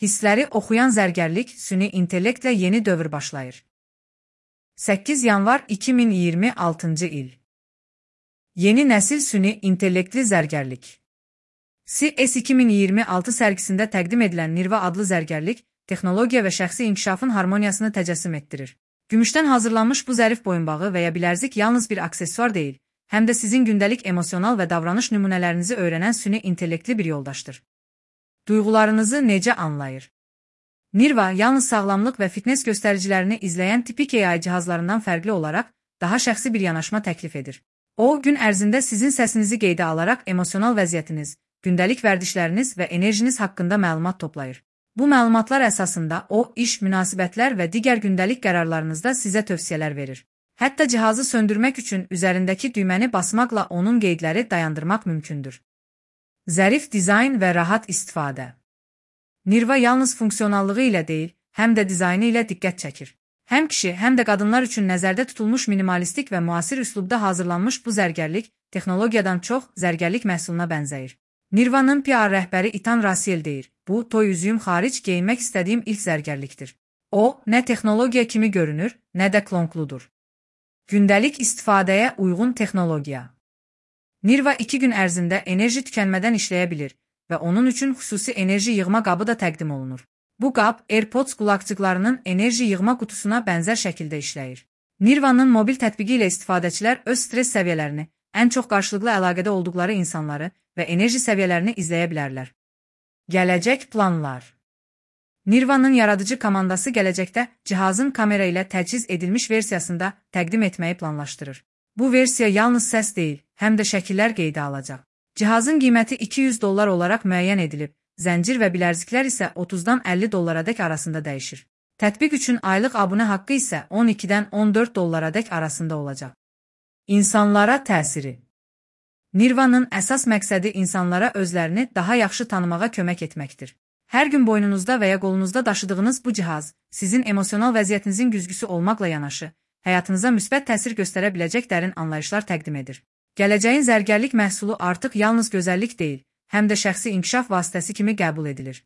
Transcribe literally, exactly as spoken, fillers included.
Hissləri oxuyan zərgərlik süni intellektlə yeni dövr başlayır. səkkiz yanvar iki min iyirmi altıncı il. Yeni nəsil süni intellektli zərgərlik. C E S iki min iyirmi altı sərgisində təqdim edilən Nirva adlı zərgərlik, texnologiya və şəxsi inkişafın harmoniyasını təcəssüm etdirir. Gümüşdən hazırlanmış bu zərif boyunbağı və ya bilərzik yalnız bir aksesuar deyil, həm də sizin gündəlik emosional və davranış nümunələrinizi öyrənən süni intellektli bir yoldaşdır. Duyğularınızı necə anlayır? Nirva, yalnız sağlamlıq və fitness göstəricilərini izləyən tipik A I cihazlarından fərqli olaraq, daha şəxsi bir yanaşma təklif edir. O, gün ərzində sizin səsinizi qeydə alaraq emosional vəziyyətiniz, gündəlik vərdişləriniz və enerjiniz haqqında məlumat toplayır. Bu məlumatlar əsasında o, iş, münasibətlər və digər gündəlik qərarlarınızda sizə tövsiyələr verir. Hətta cihazı söndürmək üçün üzərindəki düyməni basmaqla onun qeydləri dayandırmaq mümkündür. Zərif dizayn və rahat istifadə. Nirva yalnız funksionallığı ilə deyil, həm də dizaynı ilə diqqət çəkir. Həm kişi, həm də qadınlar üçün nəzərdə tutulmuş minimalistik və müasir üslubda hazırlanmış bu zərgərlik, texnologiyadan çox zərgərlik məhsuluna bənzəyir. Nirvanın P R rəhbəri Itan Rasiel deyir, bu, toy üzüyüm xaric geyinmək istədiyim ilk zərgərlikdir. O, nə texnologiya kimi görünür, nə də klonkludur. Gündəlik istifadəyə uyğun texnologiya. Nirva iki gün ərzində enerji tükənmədən işləyə bilir və onun üçün xüsusi enerji yığma qabı da təqdim olunur. Bu qab AirPods qulaqcıqlarının enerji yığma qutusuna bənzər şəkildə işləyir. Nirvanın mobil tətbiqi ilə istifadəçilər öz stres səviyyələrini, ən çox qarşılıqlı əlaqədə olduqları insanları və enerji səviyyələrini izləyə bilərlər. Gələcək planlar. Nirvanın yaradıcı komandası gələcəkdə cihazın kamera ilə təchiz edilmiş versiyasında təqdim etməyi planlaşdırır. Bu versiya yalnız səs deyil, həm də şəkillər qeydə alacaq. Cihazın qiyməti iki yüz dollar olaraq müəyyən edilib, zəncir və bilərziklər isə otuzdan əlli dollaradək arasında dəyişir. Tətbiq üçün aylıq abunə haqqı isə on ikidən on dörd dollaradək arasında olacaq. İnsanlara təsiri. Nirvanın əsas məqsədi insanlara özlərini daha yaxşı tanımağa kömək etməkdir. Hər gün boynunuzda və ya qolunuzda daşıdığınız bu cihaz, sizin emosional vəziyyətinizin güzgüsü olmaqla yanaşı, həyatınıza müsbət təsir göstərə biləcək dərin anlayışlar təqdim edir. Gələcəyin zərgərlik məhsulu artıq yalnız gözəllik deyil, həm də şəxsi inkişaf vasitəsi kimi qəbul edilir.